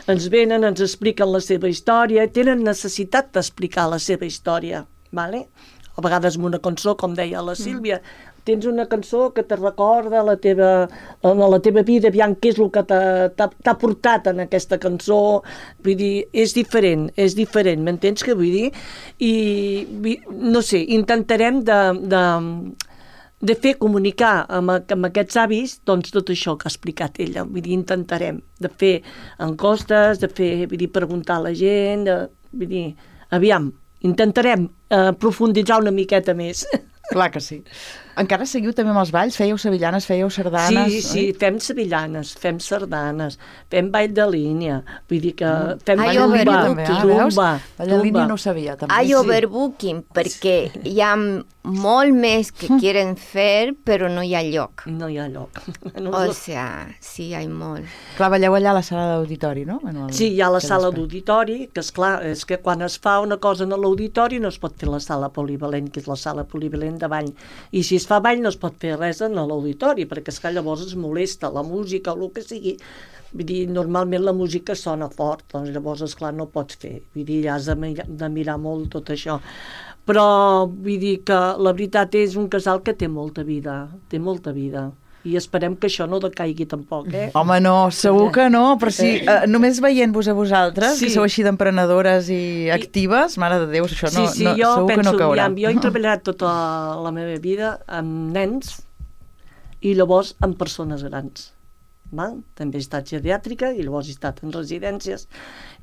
ens venen, ens expliquen la seva història, tenen necessitat d'explicar la seva història, vale? A vegades amb una cançó, com deia la Sílvia, tens una cançó que te recorda la teva, la teva vida, aviam què és el que t'ha portat en aquesta cançó. Vull dir, és diferent, és diferent, m'entens què vull dir? I, no sé, intentarem de, de, de fer comunicar amb, amb aquests avis doncs tot això que ha explicat ella. Vull dir, intentarem de fer encostes, de fer, vull dir, preguntar a la gent, de, vull dir, aviam, intentarem eh, profunditzar una miqueta més. Clar que sí. Encara seguiu també amb els balls? Fèieu sevillanes, fèieu sardanes? Sí, sí, oi? fem sevillanes, fem sardanes, fem ball de línia, vull dir que fem Ai, tumba, overbooking. Ah, veus? tumba, Ball de línia tumba. no ho sabia, també. Hay Sí. overbooking perquè hi ha molt més que quieren fer, però no hi ha lloc. No hi ha lloc. O sea, sí, hi ha molt. Clar, balleu allà a la sala d'auditori, no? En el- Sí, hi ha la aquell sala espai. d'auditori, que és clar, és que quan es fa una cosa en l'auditori no es pot fer la sala polivalent, que és la sala polivalent de ball. I si es fa ball no es pot fer res en l'auditori, perquè és que llavors es molesta la música o el que sigui. Vull dir, normalment la música sona fort, doncs llavors, esclar, no pots fer. Vull dir, ja has de mirar, de mirar molt tot això. Però vull dir que la veritat és un casal que té molta vida, té molta vida. I esperem que això no decaigui tampoc, eh? Home, no, segur que no, però sí, eh, només veient-vos a vosaltres, Sí. que sou així d'emprenedores i actives, mare de Déu, això no, sí, sí, no, jo segur que penso, no caurà. aviam, jo he treballat tota la meva vida amb nens i llavors amb persones grans. Val? També he estat geriàtrica i llavors he estat en residències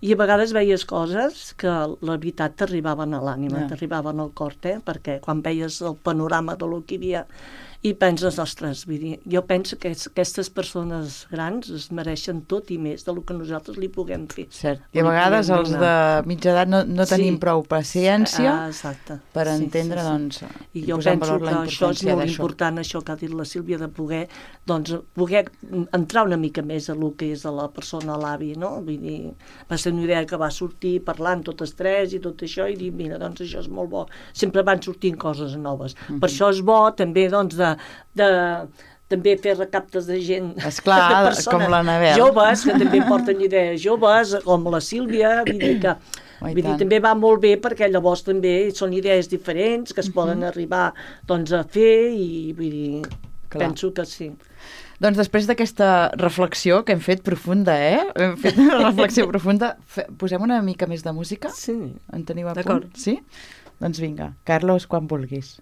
i a vegades veies coses que la veritat t'arribaven a l'ànima, Ja. t'arribaven al cor, eh? Perquè quan veies el panorama de lo que hi havia i penses, ostres, vull dir, jo penso que aquestes persones grans es mereixen tot i més del que nosaltres li puguem fer. Cert. I a Li vegades podem els de donar. mitja edat no, no tenim Sí. prou paciència Ah, exacte. per Sí, entendre, sí, sí. doncs, I jo posar en penso valor que la això és importància molt d'això. important, això que ha dit la Sílvia, de poder, doncs, poder entrar una mica més a lo que és a la persona, a l'avi, no? Vull dir, va ser una idea que va sortir parlant totes tres i tot això, i dir, mira, doncs això és molt bo. Sempre van sortint coses noves. Mhm. Per això és bo, també, doncs, de, de també fer recaptes de gent, Esclar, de persones com l'Anabel. joves, que també porten idees joves, com la Sílvia, vull dir que Oh, i vull dir, tant. també va molt bé perquè llavors també són idees diferents que es poden arribar doncs, a fer i vull dir, Clar. penso que sí. Doncs després d'aquesta reflexió que hem fet profunda, eh? Hem fet una reflexió profunda. Fe- Posem una mica més de música? Sí. En teniu a D'acord. punt? Sí? Doncs vinga, Carlos, quan vulguis.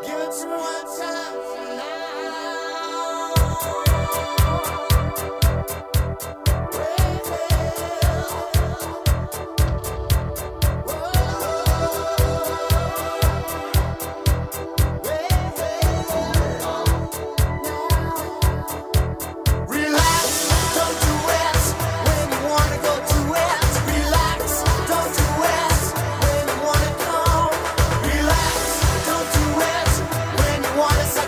Give it to me one time Relax, don't do it when you wanna go to it. Relax, don't do it when you wanna go. Relax, don't do it when you wanna.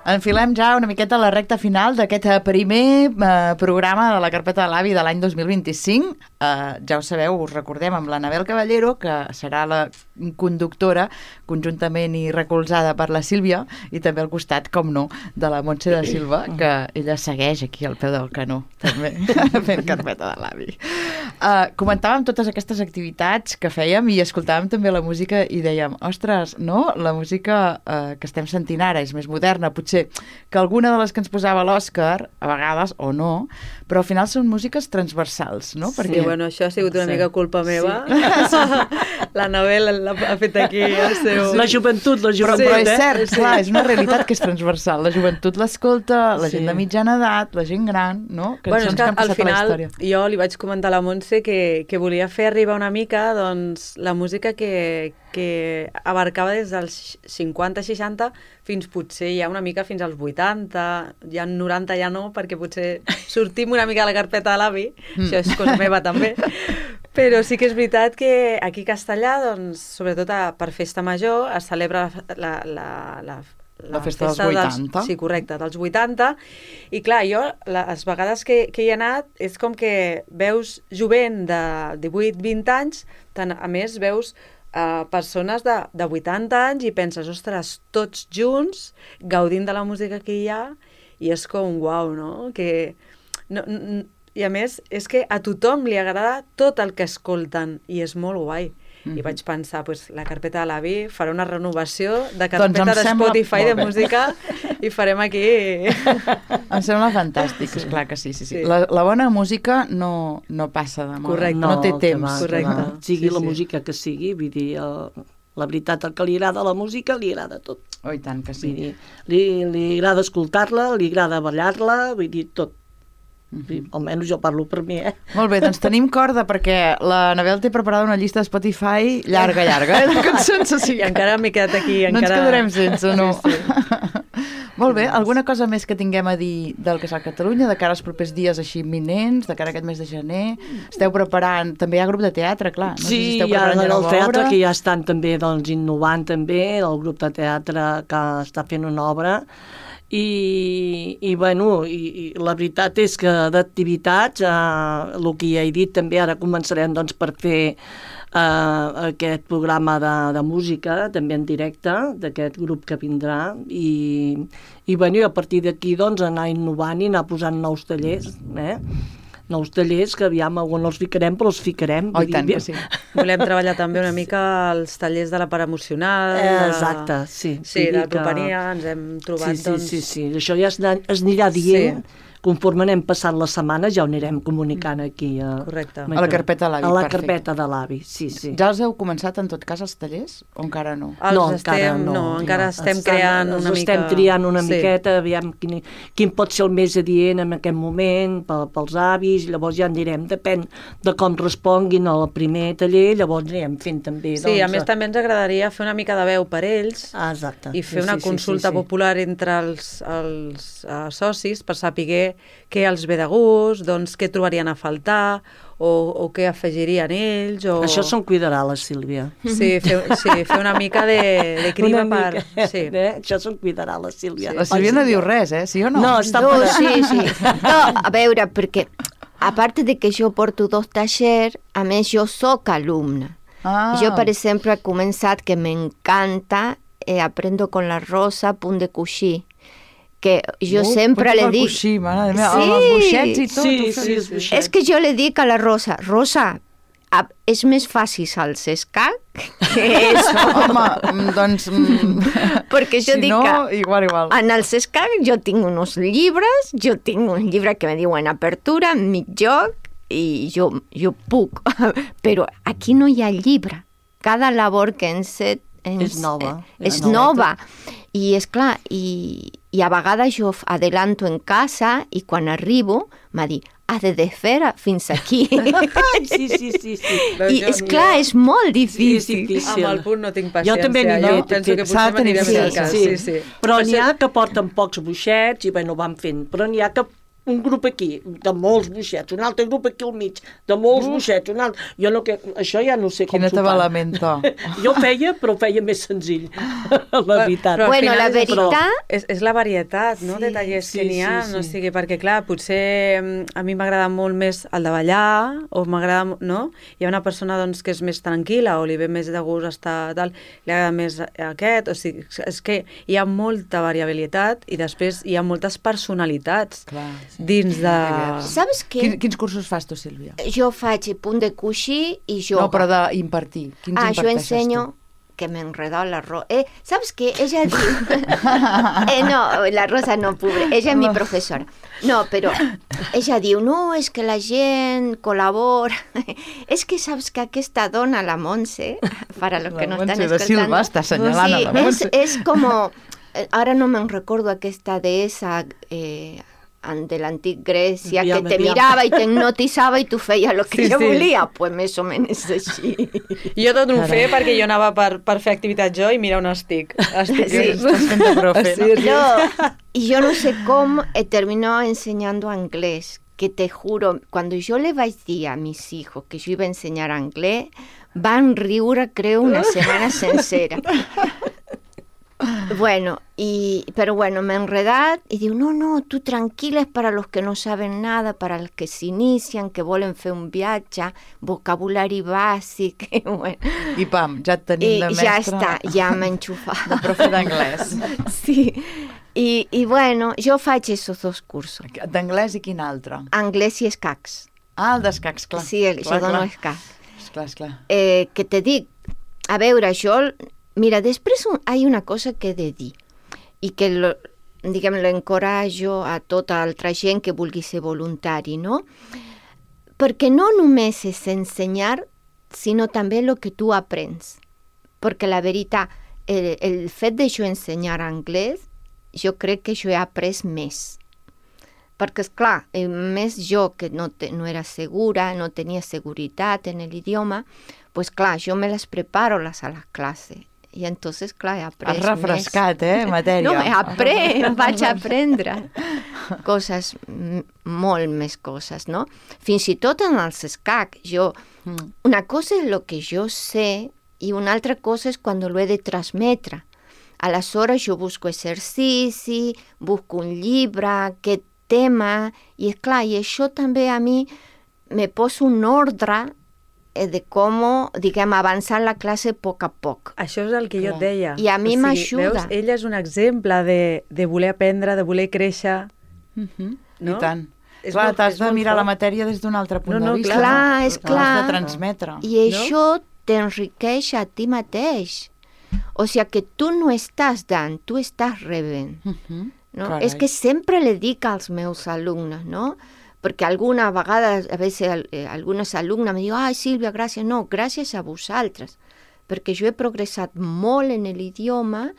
Enfilem ja una miqueta a la recta final d'aquest eh, primer eh, programa de la Carpeta de l'Avi de l'any dos mil vint-i-cinc. Eh, ja ho sabeu, us recordem amb l'Anabel Caballero, que serà la conductora conjuntament i recolzada per la Sílvia, i també al costat, com no, de la Montse de Silva, que ella segueix aquí al peu del canó, també, fent Carpeta de l'Avi. Eh, comentàvem totes aquestes activitats que fèiem i escoltàvem també la música i dèiem, ostres, no? La música eh, que estem sentint ara és més moderna, potser que alguna de les que ens posava l'Òscar, a vegades, o no, però al final són músiques transversals, no? Sí, Perquè... bueno, això ha sigut una sí. mica culpa meva. Sí. L'Anabel ha fet aquí el seu... La joventut, la joventut, però, però és eh? cert, sí. clar, és una realitat que és transversal. La joventut l'escolta, la gent Sí. de mitjana edat, la gent gran, no? Cançons bueno, és que, que han passat al final, a la història. jo li vaig comentar a la Montse que, que volia fer arribar una mica doncs, la música que, que abarcava des dels cinquanta seixanta fins potser ja una mica fins als vuitanta, ja noranta ja no, perquè potser sortim una mica a la carpeta de l'avi, mm. això és cosa meva també, però sí que és veritat que aquí a Castellà, doncs, sobretot a, per festa major, es celebra la, la, la, la, la festa, festa dels vuitanta. Dels, sí, correcte, dels vuitanta, i clar, jo les vegades que, que hi he anat és com que veus jovent de divuit vint anys, tant, a més veus Uh, persones de, de vuitanta anys i penses, ostres, tots junts gaudint de la música que hi ha, i és com uau, no? Que, no, no? I a més és que a tothom li agrada tot el que escolten i és molt guai. Mm-hmm. I vaig pensar, pues, la carpeta de l'avi farà una renovació de carpeta doncs de Spotify de música i farem aquí... Em sembla fantàstic, sí. Esclar que sí, sí, sí. sí. La, la bona música no, no passa de moda, correcte. No, no té temps. Va, correcte. Va. Sigui sí, la sí. música que sigui, vull dir, el, la veritat, el que li agrada a la música, li agrada tot. Oh, i tant que sí. Vull dir, li, li agrada escoltar-la, li agrada ballar-la, vull dir, tot. Sí, almenys jo parlo per mi, eh? Molt bé, doncs tenim corda perquè la Anabel té preparada una llista de Spotify llarga, llarga, eh, de cançons. O sigui, I encara m'he quedat aquí. No encara... ens quedarem sense, no? Sí, sí. Molt bé, alguna cosa més que tinguem a dir del que és a Catalunya, de cara als propers dies així imminents, de cara a aquest mes de gener? Esteu preparant, també hi ha grup de teatre, clar. No Sí, sé si esteu hi ha preparant el nova teatre obra. que ja estan també doncs, innovant també, el grup de teatre que està fent una obra. I, i bueno, i, i la veritat és que d'activitats, eh, el que ja he dit també, ara començarem doncs, per fer eh, aquest programa de, de música, també en directe, d'aquest grup que vindrà, i, i, bueno, i a partir d'aquí doncs, anar innovant i anar posant nous tallers, eh? nous tallers que aviam on els ficarem, però els ficarem. Oh, i tant que sí. Volem treballar també una mica els tallers de la part emocional. Eh, de... exacte, sí. Sí, Vull de dir que- propania, ens hem trobat, sí, sí, doncs... sí, sí, això ja es, es anirà dient, sí. Conforme anem passant les setmanes ja ho anirem comunicant aquí. A, Correcte. A la carpeta de l'avi, A la perfecte. carpeta de l'avi, sí, sí. Ja els heu començat en tot cas els tallers o encara no? Els no, estem, encara no. no, encara estem creant una els mica... estem triant una Sí. miqueta, aviam quin, quin pot ser el més adient en aquest moment pel, pels avis, llavors ja en direm, depèn de com responguin al primer taller, llavors anirem fent també. Sí, doncs, a més també ens agradaria fer una mica de veu per ells Ah, exacte. i fer Sí, una sí, sí, consulta sí, sí. popular entre els, els uh, socis per saber què els ve de gust, doncs què trobarien a faltar o, o què afegirien ells. O... Això se'n cuidarà la Sílvia. Sí, fer, sí, fer una mica de, de criba Una per... mica, Sí. eh? Això se'n cuidarà la Sílvia. La Sílvia no diu res, eh? Sí o no? No, està No, per... sí, sí. No, a veure, perquè a part de que jo porto dos tallers, a més jo sóc alumna. Ah. Jo, per exemple, he començat que m'encanta, eh, aprendo con la Rosa, punt de coixí, que jo Uh, sempre punt le per dic... coixí, mare meva, Sí. amb els boixets i tot. Sí, ho sí, feu. els boixets. És que jo le dic a la Rosa, Rosa, a- és més fàcil als escac que eso. Home, mm, doncs... Mm, Perquè jo si dic no, que igual, igual. en els escac jo tinc uns llibres, jo tinc un llibre que me diuen apertura, mig joc, i jo, jo puc. Però aquí no hi ha llibre. Cada labor que ens... ens És nova. És És nova. I és clar, i, i a vegades jo adelanto en casa i quan arribo m'ha dit, has de desfer fins aquí. Sí, sí, sí, sí. Veus, I jo- és clar, és molt Sí, és difícil. difícil. Amb el punt no tinc paciència. Jo també n'hi jo he, penso que s'ha de potser tenir m'aniré més al paciència. cas. Sí, sí. Però Per n'hi ser- ha que porten pocs boixets i bueno, van fent. Però n'hi ha que un grup aquí, de molts boixets, un altre grup aquí al mig, de molts uh. boixets, un altre... Jo no, que, això ja no sé com Quin s'ho fan. atabalamento. Jo feia, però feia més senzill, la veritat. Però al Bueno, final la és- veritat- però És, és la varietat, no?, Sí, de tallers sí, que n'hi ha. sí, No sí. sigui, perquè, clar, potser mm, a mi m'agrada molt més el de ballar, o m'agrada, mo- no? Hi ha una persona, doncs, que és més tranquil·la, o li ve més de gust estar tal, li agrada més aquest, o sigui, és que hi ha molta variabilitat i després hi ha moltes personalitats Clar, sí. dins de... Saps què? Quin, quins cursos fas tu, Sílvia? Jo faig punt de coixí i yoga. No, però d'impartir. Quins Ah, yo imparteixes enseño tu? que me enredó la rosa. Eh, ¿sabes qué? Ella diu... eh, no, la Rosa no, pobre. Ella es mi profesora. No, però ella diu, no, és que la gent col·labora. És que saps que aquesta dona, la Montse, para los La que no Montse están de escoltando... Silva està assenyalant a la sí, Montse. és, és como... eh, Ara no me'n recordo aquesta deessa... Eh, de l'antic Grècia, que Diana, te Diana. mirava i te hipnotitzava i tu feia el que Sí, ella sí. volia. Pues més o menys així. Jo tot ho feia perquè jo anava per, per fer activitat jo i mirar on estic. estic Sí. Estàs fent de profe, no? Sí, sí. No, y yo no sé cómo eh, terminó enseñando inglés, que te juro, cuando yo le vaig dir a mis hijos que yo iba a enseñar inglés, van riure, creo, una semana sencera. Bueno, y, pero bueno, me he enredado y digo, no, no, tú tranquila, es para los que no saben nada, para los que se inician, que volen fer un viatge, vocabulari bàsic, i bueno. I pam, ja et tenim I de mestre. ja està, ja m'he enxufat. De profe d'anglès. Sí, y, y bueno, yo faig esos dos cursos, D'anglès i quin altre? anglès i escacs. Ah, el d'escacs, clar. Sí, el, clar, jo dono clar. escacs. Esclar, esclar. Eh, que te dic, a veure, jo, mira, després un, hi ha una cosa que he de dir, i que lo, diguem, l'encorajo a tota altra gent que vulgui ser voluntari, no? Perquè no només és ensenyar, sinó també el que tu aprens. Perquè la veritat, el, el fet de jo ensenyar anglès, jo crec que jo he après més. Perquè, esclar, eh, més jo que no, te, no era segura, no tenia seguretat en l'idioma, pues clar, jo me les preparo les a les classes. I entonces, clar, he après Has refrescat, eh, matèria. No, he après, vaig aprendre coses, m- molt més coses, no? Fins i tot en els escacs, jo... Mm. Una cosa és el que jo sé i una altra cosa és quan lo he de transmetre. Aleshores jo busco exercici, busco un llibre, què tema, i és clar, i això també a mi me posa un ordre eh, de com, diguem, avançar la classe a poc a poc. Això és el que jo et Clar. deia. I a mi O sigui, m'ajuda. Veus, ella és un exemple de, de voler aprendre, de voler créixer. Mhm. No? I tant. És Clar, molt- t'has és de molt mirar la fort. matèria des d'un altre punt No, no, de vista. clar, és L'has clar. de transmetre. I això t'enriqueix a ti mateix. O sigui que tu no estàs dant, tu estàs rebent. Mhm. No? Carai. És que sempre le dic als meus alumnes, no? Perquè alguna vegada, a vegades, eh, algunes alumnes me diuen, ai, Sílvia, gràcies. No, gràcies a vosaltres, perquè jo he progressat molt en l'idioma,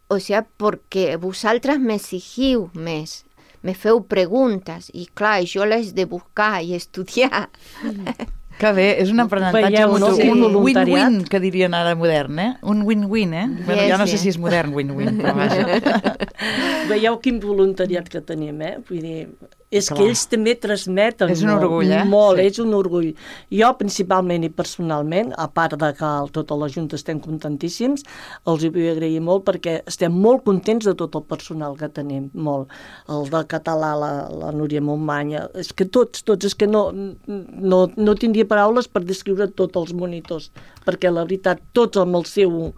o sigui, perquè vosaltres m'exigiu més, me feu preguntes, i clar, jo les de buscar i estudiar. Que bé, és un aprenentatge Veieu, no? mutu. Sí. Un Voluntariat. win-win, que dirien ara modern, eh? Un win-win, eh? Bueno, ja no sé sí. si és modern win-win, però vaja. Veieu quin voluntariat que tenim, eh? Vull dir, és Clar. que ells també transmeten És un molt, orgull, eh? molt, Sí. és un orgull. Jo, principalment i personalment, a part de que el, tota la Junta estem contentíssims, els hi vull agrair molt perquè estem molt contents de tot el personal que tenim, molt. El de català, la, la Núria Montmanya, és que tots, tots, és que no, no, no tindria paraules per descriure tots els monitors, perquè la veritat, tots amb el seu...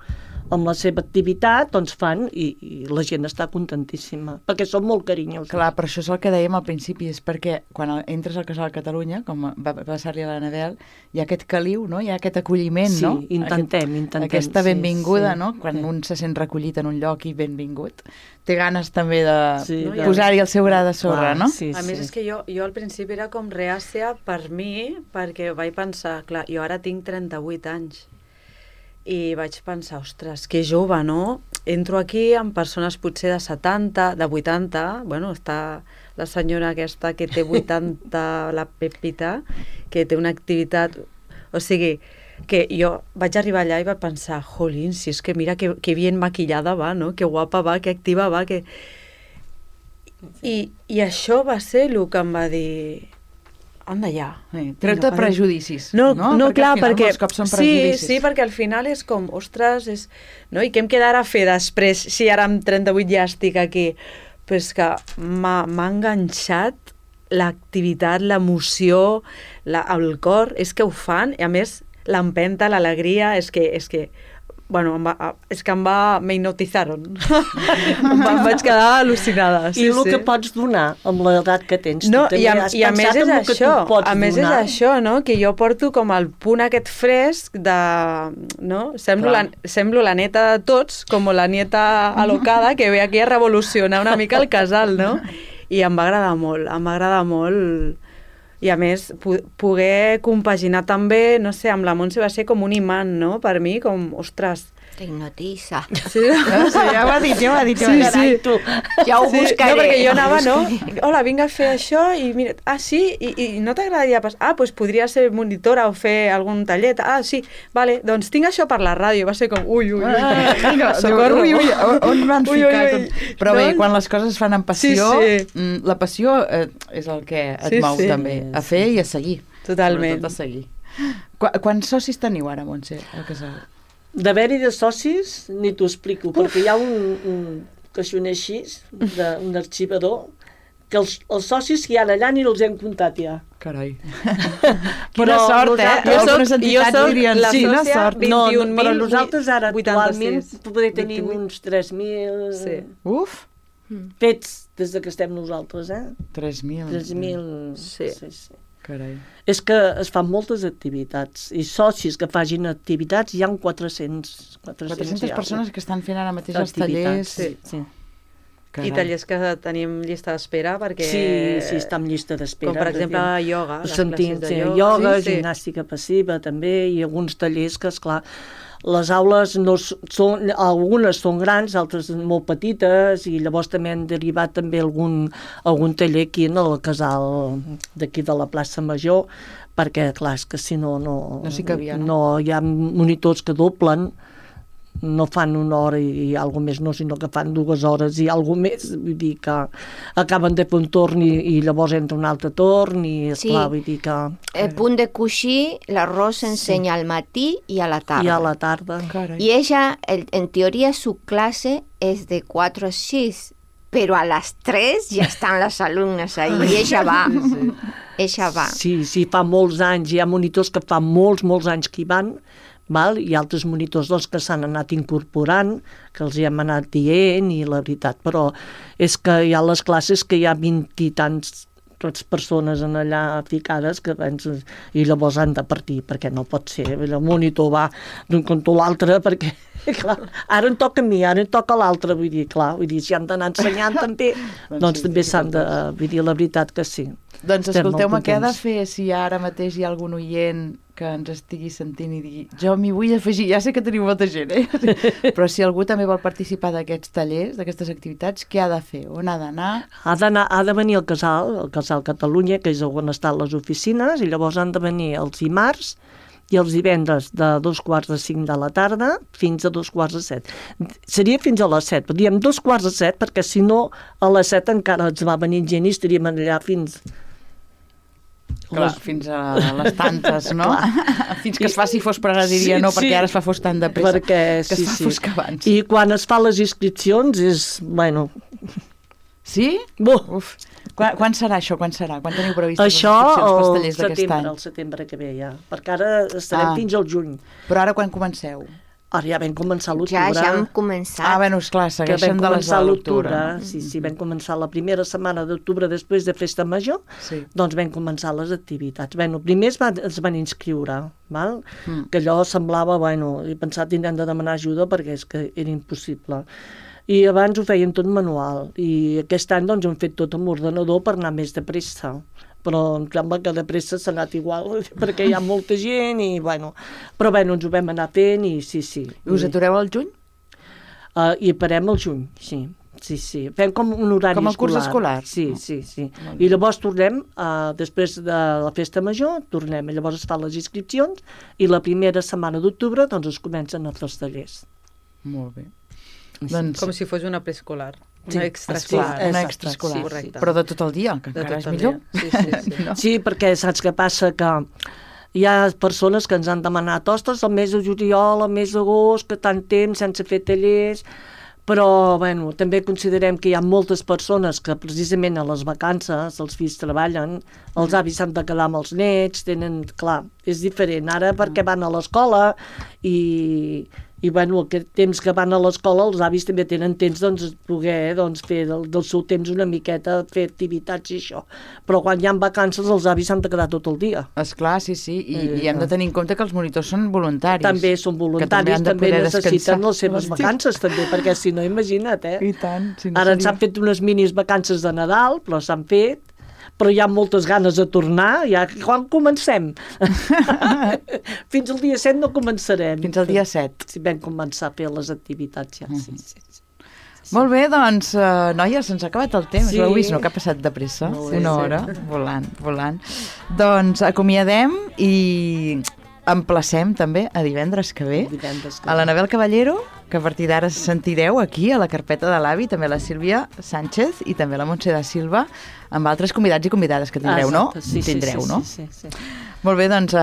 amb la seva activitat, doncs fan, i, i la gent està contentíssima, perquè són molt carinyosos. Clar, però això és el que dèiem al principi, és perquè quan entres al Casal Catalunya, com va passar-li a l'Anabel, hi ha aquest caliu, no? Hi ha aquest acolliment, Sí, no? intentem, aquest, intentem, Aquesta sí, benvinguda, sí, no? Quan sí. un se sent recollit en un lloc i benvingut. Té ganes també de Sí, de- posar-hi el seu gra de sorra, Clar, no? sí, A més, és que jo, jo al principi era com reàcia per mi, perquè vaig pensar, clar, jo ara tinc trenta-vuit anys, i vaig pensar, ostres, que jove, no? Entro aquí amb persones potser de setanta, de vuitanta, bueno, està la senyora aquesta que té vuitanta, la Pepita, que té una activitat... O sigui, que jo vaig arribar allà i vaig pensar, jolín, si és que mira que, que bien maquillada va, no? Que guapa va, que activa va, que... I, I això va ser el que em va dir... Anda ja. Sí, treu-te prejudicis. No, no, no perquè clar, al final perquè... molts cops són sí, prejudicis. sí, perquè al final és com, ostres, és... no? I què em quedarà a fer després, si ara amb trenta-vuit ja estic aquí? Però és que m'ha enganxat l'activitat, l'emoció, la, el cor, és que ho fan, i a més l'empenta, l'alegria, és que, és que, bueno, em va, és que em va, me hipnotizaron. em, va, em vaig quedar al·lucinada. Sí, I el sí. que pots donar amb l'edat que tens. No, tu i a, també has i a més pensat és en el que tu això, pots a més és donar? això, no? Que jo porto com el punt aquest fresc de... no? Semblo, la, semblo la neta de tots, com la nieta alocada que ve aquí a revolucionar una mica el casal, no? I em va agradar molt, em va agradar molt. I a més, poder compaginar també, no sé, amb la Montse va ser com un imant, no? Per mi, com, ostres... Te hipnotiza. Sí, No, sí, ja ho ha dit, ja ho ha dit. Ja ho Sí, ha dit. sí. Tu. Ja ho Sí, buscaré. no, perquè jo ho anava, no? buscaré. Hola, vinc a fer això i mira, ah, sí? I, i no t'agradaria pas... Ah, doncs podria ser monitora o fer algun tallet. Ah, sí, vale, doncs tinc això per la ràdio. Va ser com, ui, ui, ui. Ah, vinga, Socorro. ui, ui, on m'han Ui, ui, ficat? ui. Però bé, Doncs- quan les coses es fan amb passió, Sí, sí. mm, la passió eh, és el que et Sí, mou sí. també, a fer i a seguir. Totalment. Sobretot a seguir. Qu Quants socis teniu ara, Montse, al casal? D'haver-hi de socis, ni t'ho explico, perquè hi ha un, un caixoner així, de, un arxivador, que els, els socis que hi ha allà ni els hem comptat ja. Carai. Però Quina sort, eh? nosaltres- Jo Algunes soc- entitats jo soc dirien, la quina sòcia sort. vint- No, vint-i-un però mil nosaltres ara actualment vuitanta-sis, poder tenir vint-i-vuit. uns tres mil Sí. Uf, fets des de que estem nosaltres, eh? tres mil. tres mil... Sí. sí, sí. Carai. És que es fan moltes activitats i socis que facin activitats hi ha quatre-cents. quatre-centes persones que estan fent ara mateix els tallers. Sí, sí. Carai. I tallers que tenim llista d'espera perquè... Sí, sí, està en llista d'espera. Com per exemple ioga, les Sentim, classes de sí, ioga. ioga, Sí, sí. gimnàstica passiva també, i alguns tallers que, esclar, les aules no s- són, algunes són grans, altres molt petites, i llavors també han derivat també algun, algun taller aquí en el casal d'aquí de la plaça Major, perquè, clar, és que si no... No, No s'hi cabia, no? no? Hi ha monitors que doblen, no fan una hora i, i alguna més no, sinó que fan dues hores i alguna més, vull dir que acaben de fer un torn i, i llavors entra un altre torn i, esclar, Sí. vull dir que... El punt de coixí, l'arròs s'ensenya al matí i a la tarda. I a la tarda. Carai. Y ella, el- en teoría, su clase es de cuatro a seis, pero a las tres ya están las alumnas ahí y ella va. Ella va. Sí, sí, fa molts anys, hi ha monitors que fa molts, molts anys que hi van, val? I altres monitors doncs, que s'han anat incorporant, que els hi hem anat dient, i la veritat, però és que hi ha les classes que hi ha vint i tants totes persones en allà ficades que penses, i llavors han de partir, perquè no pot ser, el monitor va d'un cantó a l'altre, perquè clar, ara em toca a mi, ara em toca a l'altre, vull dir, clar, vull dir, si han d'anar ensenyant també, doncs també s'han de, vull dir, la veritat que sí. Doncs Estem escolteu, molt me queda contents. fer si ara mateix hi ha algun oient que ens estigui sentint i digui jo m'hi vull afegir, ja sé que teniu molta gent, eh? Però si algú també vol participar d'aquests tallers, d'aquestes activitats, què ha de fer? On ha d'anar? Ha d'anar, ha de venir al casal, al casal Catalunya, que és on estan les oficines, i llavors han de venir els dimarts i els divendres de dos quarts de cinc de la tarda fins a dos quarts de set. Seria fins a les set, però diem dos quarts de set perquè si no a les set encara ens va venir gent i estaríem allà fins... Clar, les- fins a les tantes, no? Fins que es faci fos, però ara diria Sí, no, perquè sí. ara es fa fos tan de pressa perquè, que sí, es fa sí. fos que abans. I quan es fa les inscripcions és, bueno... Sí? Bo, Uf. Quan, quan serà això? Quan serà? Quan teniu previst això les inscripcions pels al tallers d'aquest setembre, any? al setembre que ve ja, perquè ara estarem Ah. fins al juny. Però ara quan comenceu? Ara ja vam començar a Ja, l'octubre. ja hem començat. Ah, bueno, esclar, que segueixen vam de les començar de a l'octubre. l'octubre, sí, sí, vam començar la primera setmana d'octubre després de Festa Major, Sí. doncs vam començar les activitats. Bueno, primer es van, es van inscriure, val? Mm. Que allò semblava, bueno, he pensat tindrem de demanar ajuda perquè és que era impossible. I abans ho fèiem tot manual, i aquest any doncs hem fet tot amb ordenador per anar més de pressa, però em sembla que de pressa s'ha anat igual, perquè hi ha molta gent i, bueno, però bueno, ens ho vam anar fent i sí, sí. I us atureu al juny? Uh, I parem al juny, sí. Sí, sí. Fem com un horari Com el curs escolar. escolar? Sí, sí, sí. I llavors tornem, uh, després de la festa major, tornem. I llavors es fan les inscripcions i la primera setmana d'octubre doncs es comencen a fer els tallers. Molt bé. Doncs, Com si fos una preescolar. Una Sí, extraescolar. Esclar, una exacte, extraescolar. sí, correcte. Però de tot el dia, que De encara tot és el millor. dia. Sí, sí, sí. No? Sí, perquè saps què passa? Que hi ha persones que ens han demanat ostres, el mes de juliol, el mes d'agost, que tant temps sense fer tallers, però bueno, també considerem que hi ha moltes persones que precisament a les vacances els fills treballen, els avis s'han de quedar amb els nets, tenen, clar, és diferent ara perquè van a l'escola i, i bueno, aquest temps que van a l'escola els avis també tenen temps doncs, poder doncs, fer del, del seu temps una miqueta, fer activitats i això, però quan hi ha vacances els avis s'han de quedar tot el dia. Esclar, sí, sí, i, Eh, i hem de tenir en compte que els monitors són voluntaris. També són voluntaris, han de també, poder necessiten descansar les seves l'estiu. vacances, també, perquè si no, imagina't, eh? I tant, si no Ara ens seria- han fet unes minis vacances de Nadal, però s'han fet, però hi ha moltes ganes de tornar, ja quan comencem? Fins al dia set no començarem. Fins al dia set. Si vam començar a fer les activitats, ja, sí, sí. sí. Molt bé, doncs, uh, noies, se'ns ha acabat el temps. Sí. L'heu vist, no? Que ha passat de pressa. Molt bé, Una sí. hora, volant, volant. Doncs acomiadem i emplacem també a divendres que ve Divendres que a l'Anabel Caballero, que a partir d'ara sentireu aquí a la carpeta de l'avi, també la Sílvia Sánchez i també la Montse da Silva, amb altres convidats i convidades que tindreu, no? Exacte, sí, sí, Tindreu, sí, no? Sí, sí, sí. Molt bé, doncs eh,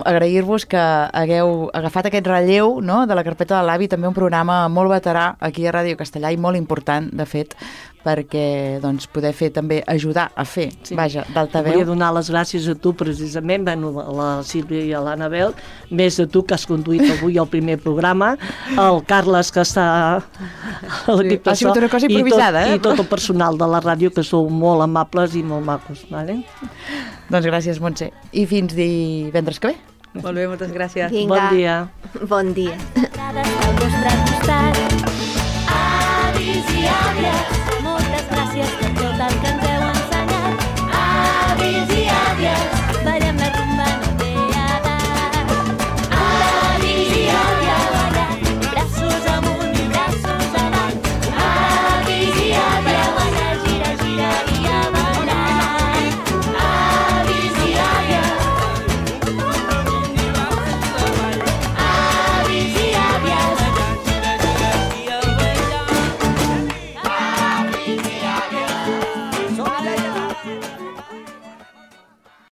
agrair-vos que hagueu agafat aquest relleu, no?, de la carpeta de l'avi, també un programa molt veterà aquí a Ràdio Castellà i molt important, de fet, perquè doncs, poder fer també, ajudar a fer, Sí. vaja, d'altaveu. Volia donar les gràcies a tu precisament, bueno, a la Sílvia i a l'Anabel, més a tu que has conduït avui el primer programa, el Carles que està a l'equip ha de so, sigut una cosa improvisada, i tot, eh? i tot el personal de la ràdio que sou molt amables i molt macos, vale? Doncs gràcies, Montse. I fins divendres que ve. Molt bé, moltes gràcies. Vinga, Bon dia. bon dia. Cada al vostre costat. Avis i àvies,